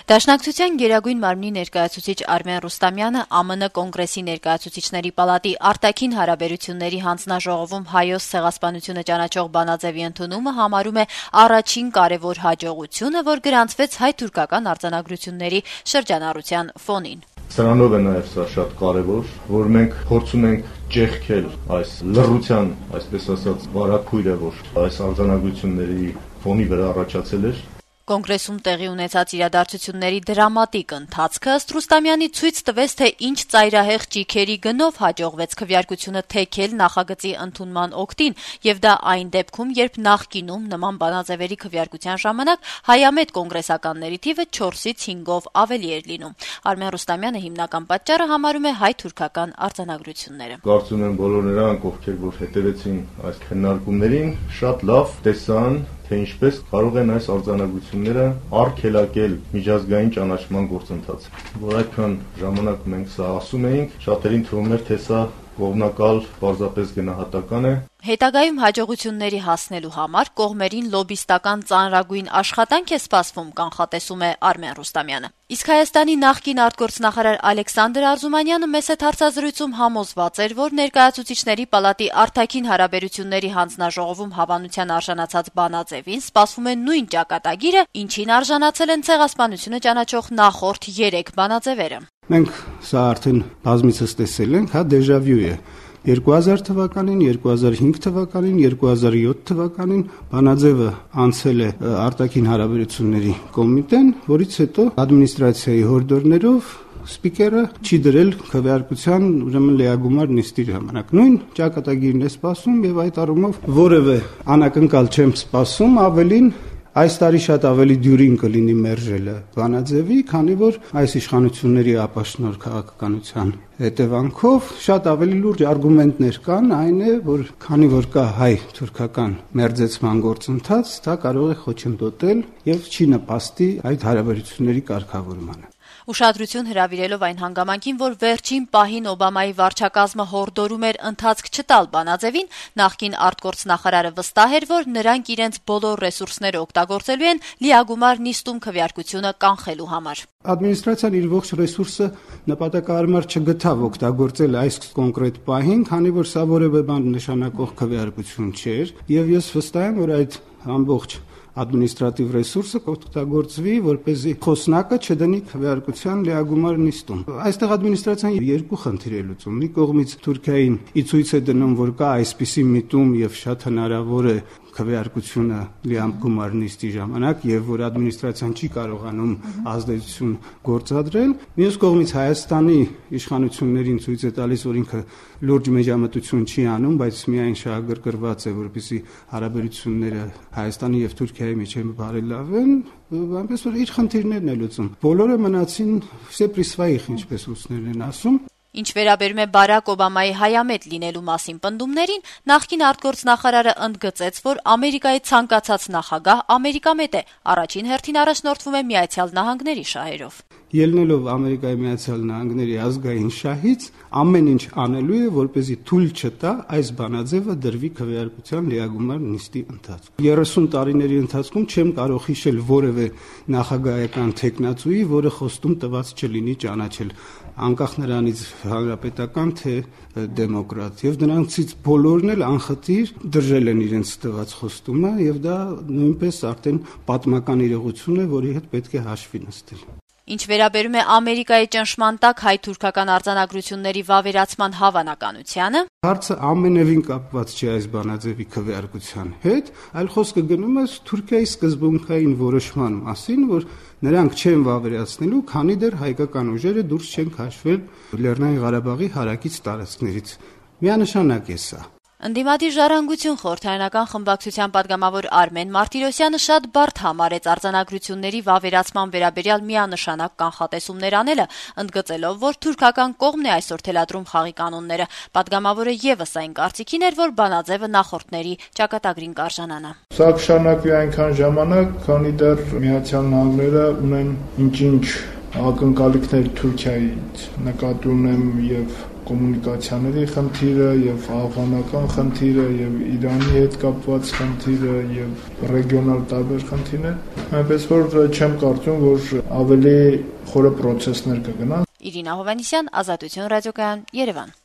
Դաշնակցության գերագույն մարմնի ներկայացուցիչ Արմեն Ռուստամյանը ԱՄՆ կոնգրեսի ներկայացուցիչների պալատի արտաքին հարաբերությունների հանձնաժողովում հայոց ցեղասպանությունը ճանաչող բանաձեւի ընդունումը համարում է առաջին կարեւոր հաջողությունը, որ գրանցվեց հայ-թուրքական արձանագրությունների շրջանառության ֆոնին։ Սրանով է նաև սա շատ կարևոր, որ մենք փորձում ենք ճեղքել այս լռության, այսպես ասած, վարակույրը, որ այս արձանագրությունների ֆոնի վրա առաջացել էր։ Կոնգրեսում տեղի ունեցած իրադարձությունների դրամատիկ ընթացքը ըստ Ռուստամյանի ցույց տվեց, թե ինչ ծայրահեղ ճիգերի գնով հաջողվեց քվեարկությունը թեքել նախագծի ընդունման օգտին, եւ դա այն դեպքում, երբ նախկինում նման բանաձևերի քվեարկության ժամանակ հայամետ կոնգրեսականների թիվը 4-ից 5-ով ավելի էր լինում։ Արմեն Ռուստամյանը հիմնական պատճառը համարում է հայ-թուրքական արձանագրությունները։ Կարծում եմ բոլոր նրանք, ովքեր որ հետևեցին այս քննարկումներին, շատ լավ տեսան, թե ինչպես կարող են այս արձանագրությունները արգելակել միջազգային ճանաչման գործընթացը։ Որ այդքան ժամանակ մենք սա ասում էինք, շատերին թվում էր, թե սա կողմնակալ, պարզապես գնահատական է։ Հետագայում հաջողությունների հասնելու համար կողմերին լոբիստական ծանրագույն աշխատանք է սպասվում, կանխատեսում է Արմեն Ռուստամյանը։ Իսկ Հայաստանի նախկին արտգործնախարար Ալեքսանդր Արզումանյանը մեծ հարցազրույցում համոզված էր, որ ներկայացուցիչների պալատի արտաքին հարաբերությունների հանձնաժողովում հավանության արժանացած բանաձևին սպասվում է նույն ճակատագիրը, ինչին արժանացել են ցեղասպանությունը ճանաչող նախորդ 3 բանաձևերը։ Մենք սա արդեն բազմիցս տեսել ենք, դեժավյու է։ 2000 թվականին, 2005 թվականին, 2007 թվականին բանաձևը անցել է արտաքին հարաբերությունների կոմիտեն, որից հետո ադմինիստրացիայի հորդորներով սպիկերը չի դրել քվեարկության ուրեմն լիագումար նիստի ժամանակ։ Նույն ճակատագիրն է սպասում եւ այդ առումով որևէ անակնկալ չեմ սպասում, ավելին այս տարի շատ ավելի դյուրին կլինի մերժելը բանաձևի, քանի որ այս իշխանությունների ապաշնոր քաղաքականության հետևանքով շատ ավելի լուրջ արգումենտներ կան, այն է, որ քանի որ կա հայ-թուրքական մերձեցման գործընթաց, դա կարող է խոչընդոտել եւ չի նպաստի այդ հարաբերությունների կարգավորմանը։ Ուշադրություն հրավիրելով այն հանգամանքին, որ վերջին պահին Օբամայի վարչակազմը հորդորում էր ընթացք չտալ բանաձևին, նախկին արտգործնախարարը վստահ էր, որ նրանք իրենց բոլոր ռեսուրսները օգտագործելու են լիագումար նիստում քվեարկությունը կանխելու համար։ Ադմինիստրացիան իր ողջ ռեսուրսը նպատակահարմար չգտավ օգտագործել այս կոնկրետ պահին, քանի որ սա որևէ բան նշանակող քվեարկություն չէր, եւ ես վստահ եմ, որ այդ ամբողջ ադմինիստրատիվ ռեսուրսը կօգտագործվի, որպեսզի խոսնակը չդնի քվեարկության լիագումար նիստում։ Այստեղ ադմինիստրացիան երկու խնդիր է լուծում։ Մի կողմից Թուրքիային ի ցույց է դնում, որ կա այսպիսի միտում եւ շատ հնարավոր է քվեարկությունը լիագումար նիստի ժամանակ եւ որ ադմինիստրացիան չի կարողանում ազդեցություն գործադրել։ Մյուս կողմից Հայաստանի իշխանություններին ցույց է տալիս, որ ինքը լուրջ մեջամտություն չի անում, բայց միայն շահագրգռված է, որպեսզի հարաբերությունները Հայաստանի եւ Թուրքիայի միջեւ բարելավեն, այնպես որ իր խնդիրներն է լուծում։ Բոլորը մնացին սեպրիսվայիխ, ինչպես ռուսներն են ասում։ Ինչ վերաբերում է Բարակ Օբամայի հայամետ լինելու մասին պնդումներին, նախկին արտգործնախարարը ընդգծեց, որ Ամերիկայի ցանկացած նախագահ ամերիկամետ է, առաջին հերթին առաջնորդվում է Միացյալ Նահանգների շահերով։ Ելնելով Ամերիկայի Միացյալ Նահանգների ազգային շահից, ամեն ինչ անելու է, որպեսզի թույլ չտա այս բանաձևը դրվի քվեարկության լիագումար նիստի ընթացքում։ 30 տարիների ընթացքում չեմ կարող հիշել որևէ նախագահական թեկնածուի, որը խոստում տված չլինի ճանաչել անկախ նրանից հանրապետական թե դեմոկրատ, եւ նրանցից բոլորն էլ անխտիր դրժել են իրենց տված խոստումը, եւ դա նույնպես արդեն պատմական իրողություն է, որի հետ պետք է հաշվի նստել։ Ինչ վերաբերում է Ամերիկայի ճնշման տակ հայ-թուրքական արձանագրությունների վավերացման հավանականությանը, հարցը ամենևին կապված չէ այս բանաձևի քվեարկության հետ, այլ խոսքը գնում է Թուրքիայի սկզբունքային որոշման մասին, որ նրանք չեն վավերացնելու, քանի դեռ հայկական ուժերը դուրս չեն քաշվել Լեռնային Ղարաբաղի հարակից տարածքներից։ Միանշանակ է սա։ Ընդդիմադիր ժառանգություն խորհրդարանական խմբակցության падգամավոր Արմեն Մարտիրոսյանը շատ բարդ համարեց արձանագրությունների վավերացման վերաբերյալ միանշանակ կանխատեսումներ անելը, ընդգծելով, որ թուրքական կողմն է այսօր թելադրում խաղի կանոնները։ Падգամավորը եւս այն կարծիքին էր, որ բանաձևը նախորդների ճակատագրին կարժանանա։ Սա կշանակվի այնքան ժամանակ, քանի դեռ Միացյալ Նահանգները ունեն ինչ-ինչ ակնկալիքներ Թուրքիայից, նկատի ունեմ եւ կոմունիկացիաների խնդիրը եւ afghanական խնդիրը եւ Իրանի հետ կապված խնդիրը եւ ռեգիոնալ տարբեր խնդիրներ, այնպես որ չեմ կարծում, որ ավելի խորը process-ներ կգնան։ Իրինա Հովանեսյան, Ազատություն ռադիոկայան, Երևան։